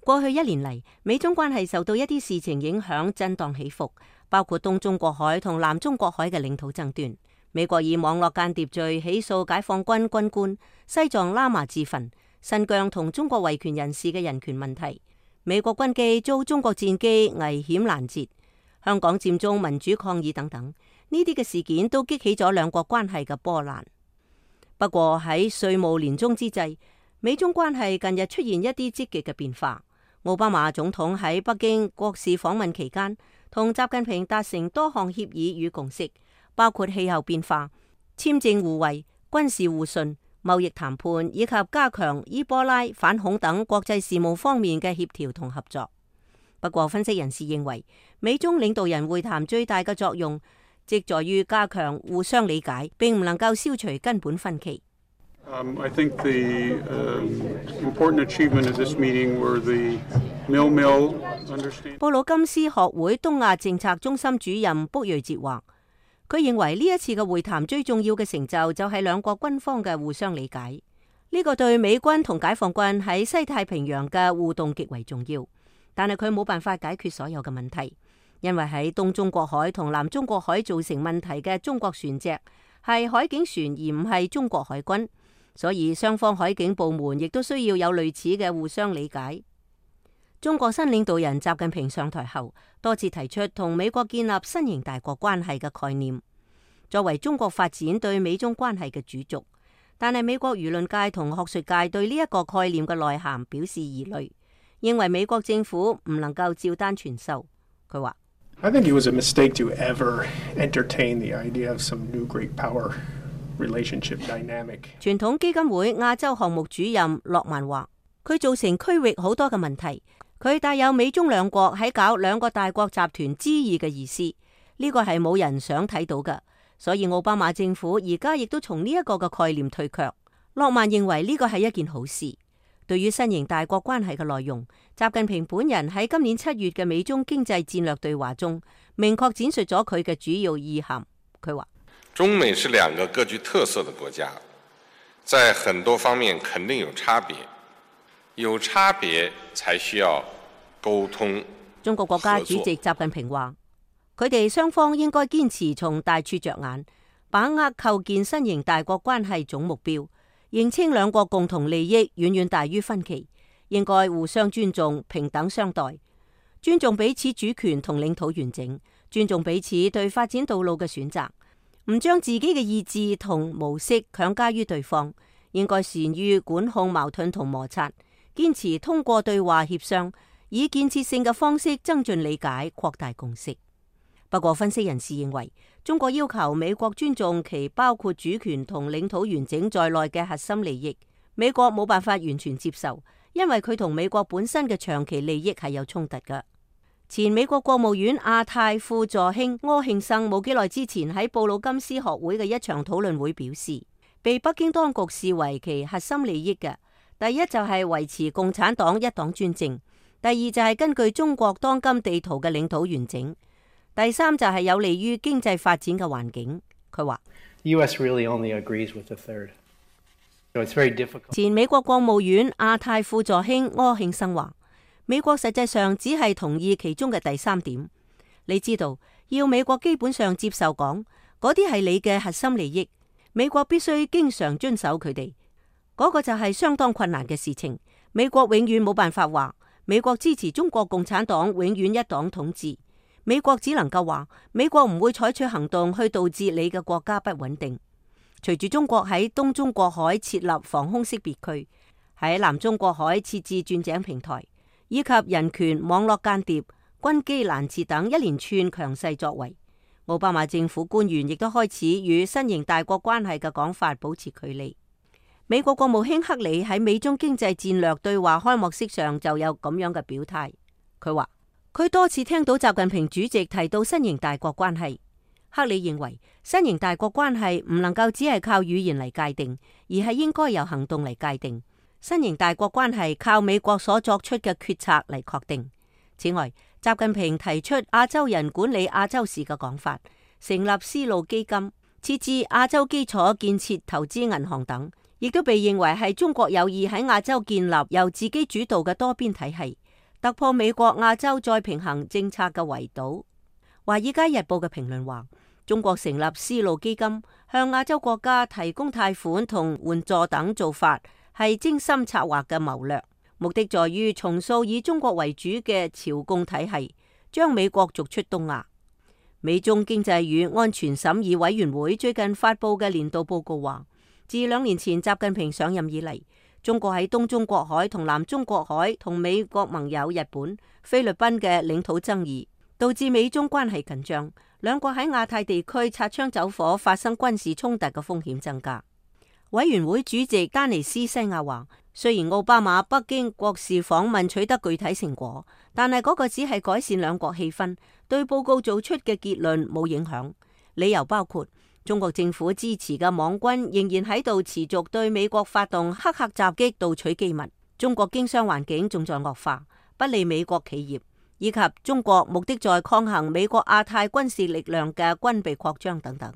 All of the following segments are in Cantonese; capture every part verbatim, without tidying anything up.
過去一年嚟，美中關係受到一啲事情影響，震盪起伏，包括東中國海同南中國海嘅領土爭端。美國以網絡間諜罪起訴解放軍軍官、西藏喇嘛自焚、新疆同中國維權人士嘅人權問題。美國軍機遭中國戰機危險攔截，香港佔中民主抗議等等，呢啲嘅事件都激起咗兩國關係嘅波瀾。不過喺歲暮年終之際，美中關係近日出現一啲積極嘅變化。奧巴馬總統喺北京國事訪問期間，同習近平達成多項協議與共識，包括氣候變化、簽證互惠、軍事互信、貿易談判以及加強伊波拉、反恐等國際事務方面嘅協調同合作。不過，分析人士認為，美中領導人會談最大嘅作用，即在於加強互相理解，並唔能夠消除根本分歧。Um, I think the uh, important achievement of this meeting were the Mil-Mil understanding. 布魯金斯學會東亞政策中心主任卜瑞哲話，佢認為呢一次嘅會談最重要嘅成就就係兩國軍方嘅互相理解。呢、這個對美軍同解放軍喺西太平洋嘅互動極為重要，但係佢冇辦法解決所有嘅問題，因為喺東中國海同南中國海造成問題嘅中國船隻係海警船而唔係中國海軍。所以雙方海警部門亦都需要有類似嘅互相理解。中國新領導人習近平上台後，多次提出同美國建立新型大國關係嘅概念，作為中國發展對美中關係嘅主軸。但係美國輿論界同學術界對呢一個概念嘅內涵表示疑慮，認為美國政府唔能夠照單全收。佢話I think it was a mistake to ever entertain the idea of some new great power relationship dynamic. 傳統基金會亞洲項目主任洛曼話，佢造成區域好多嘅問題，佢帶有美中兩國喺搞兩個大國集團之意嘅意思，呢個係冇人想睇到嘅。所以奧巴馬政府而家亦都從呢一個嘅概念退卻。洛曼認為呢個係一件好事。對於新型大國關係嘅內容，習近平本人喺今年七月嘅美中經濟戰略對話中，明確展述咗佢嘅主要意涵。佢話，中美是兩個各具特色的國家，在很多方面肯定有差別，有差別才需要溝通。中國國家主席習近平話，佢哋雙方應該堅持從大處着眼，把握構建新型大國關係總目標，認清兩國共同利益遠遠大於分歧，應該互相尊重、平等相待，尊重彼此主權同領土完整，尊重彼此對發展道路嘅選擇。唔將自己嘅意志同模式強加於對方，應該善於管控矛盾同摩擦，堅持通過對話協商，以建設性嘅方式增進理解、擴大共識。不過，分析人士認為，中國要求美國尊重其包括主權同領土完整在內嘅核心利益，美國冇辦法完全接受，因為佢同美國本身嘅長期利益係有衝突嘅。前美國國務院亞太副助卿柯慶生冇幾耐之前喺布魯金斯學會嘅一場討論會表示，被北京當局視為其核心利益嘅，第一就係維持共產黨一黨專政，第二就係根據中國當今地圖嘅領土完整，第三就係有利於經濟發展嘅環境。佢話 U S really only agrees with the third. So it's very difficult. 前美國國務院亞太副助卿柯慶生話，美國實際上只係同意其中嘅第三點。你知道，要美國基本上接受講，嗰啲係你嘅核心利益，美國必須經常遵守佢哋。嗰個就係相當困難嘅事情。美國永遠冇辦法話，美國支持中國共產黨永遠一黨統治。美國只能夠話，美國唔會採取行動去導致你嘅國家不穩定。隨住中國喺東中國海設立防空識別區，喺南中國海設置鑽井平台，以及人權、網絡間諜、軍機攔截等一連串強勢作為，奧巴馬政府官員亦都開始與新型大國關係嘅講法保持距離。美國國務卿克里喺美中經濟戰略對話開幕式上就有咁樣嘅表態，佢話佢多次聽到習近平主席提到新型大國關係。克里認為新型大國關係唔能夠只係靠語言嚟界定，而係應該由行動嚟界定。新型大國關係靠美國所作出嘅決策嚟確定。此外，習近平提出亞洲人管理亞洲事嘅講法，成立絲路基金，設置亞洲基礎建設投資銀行等，亦都被認為係中國有意喺亞洲建立由自己主導嘅多邊體系，突破美國亞洲再平衡政策嘅圍堵。華爾街日報嘅評論話，中國成立絲路基金，向亞洲國家提供貸款同援助等做法，係精心策劃嘅謀略，目的在於重塑以中國為主嘅朝貢體系，將美國逐出東亞。美中經濟與安全審議委員會最近發佈嘅年度報告話，自兩年前習近平上任以嚟，中國喺東中國海同南中國海同美國盟友日本、菲律賓嘅領土爭議，導致美中關係緊張，兩國喺亞太地區擦槍走火，發生軍事衝突嘅風險增加。委員會主席丹尼斯西亞話，雖然奧巴馬北京國事訪問取得具體成果，但係嗰個只係改善兩國氣氛，對報告做出嘅結論冇影響。理由包括中國政府支持嘅網軍仍然喺度持續對美國發動黑客襲擊，盜取機密；中國經商環境仲在惡化，不利美國企業，以及中國目的在抗衡美國亞太軍事力量嘅軍備擴張等等。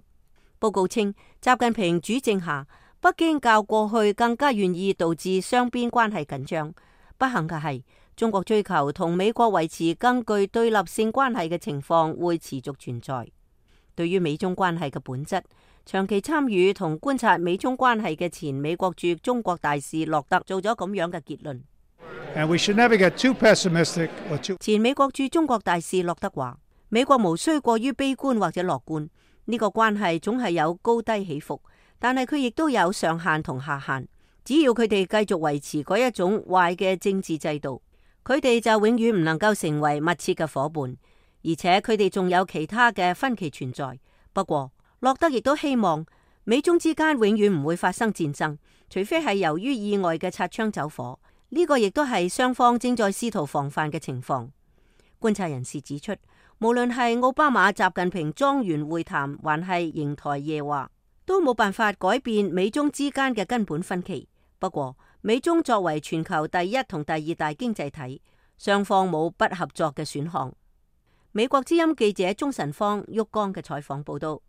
報告稱，習近平主政下，北京較過去更加願意導致雙邊關係緊張。不幸嘅係，中國追求同美國維持更具對立性關係嘅情況會持續存在。對於美中關係嘅本質，長期參與同觀察美中關係嘅前美國駐中國大使洛特做咗咁樣嘅結論。And we should never get too pessimistic or too... 前美國駐中國大使洛特話，美國無需過於悲觀或者樂觀，呢個關係總係有高低起伏。但係佢亦都有上限同下限，只要佢哋繼續維持嗰一種壞嘅政治制度，佢哋就永遠唔能夠成為密切嘅夥伴，而且佢哋仲有其他嘅分歧存在。不過，洛德亦都希望美中之間永遠唔會發生戰爭，除非係由於意外嘅擦槍走火。呢個亦都係雙方正在試圖防範嘅情況。觀察人士指出，無論係奧巴馬、習近平莊園會談，還係瀛台夜話，都冇辦法改變美中之間嘅根本分歧。不過，美中作為全球第一同第二大經濟體，雙方冇不合作嘅選項。美國之音記者鍾晨芳、旭江嘅採訪報道。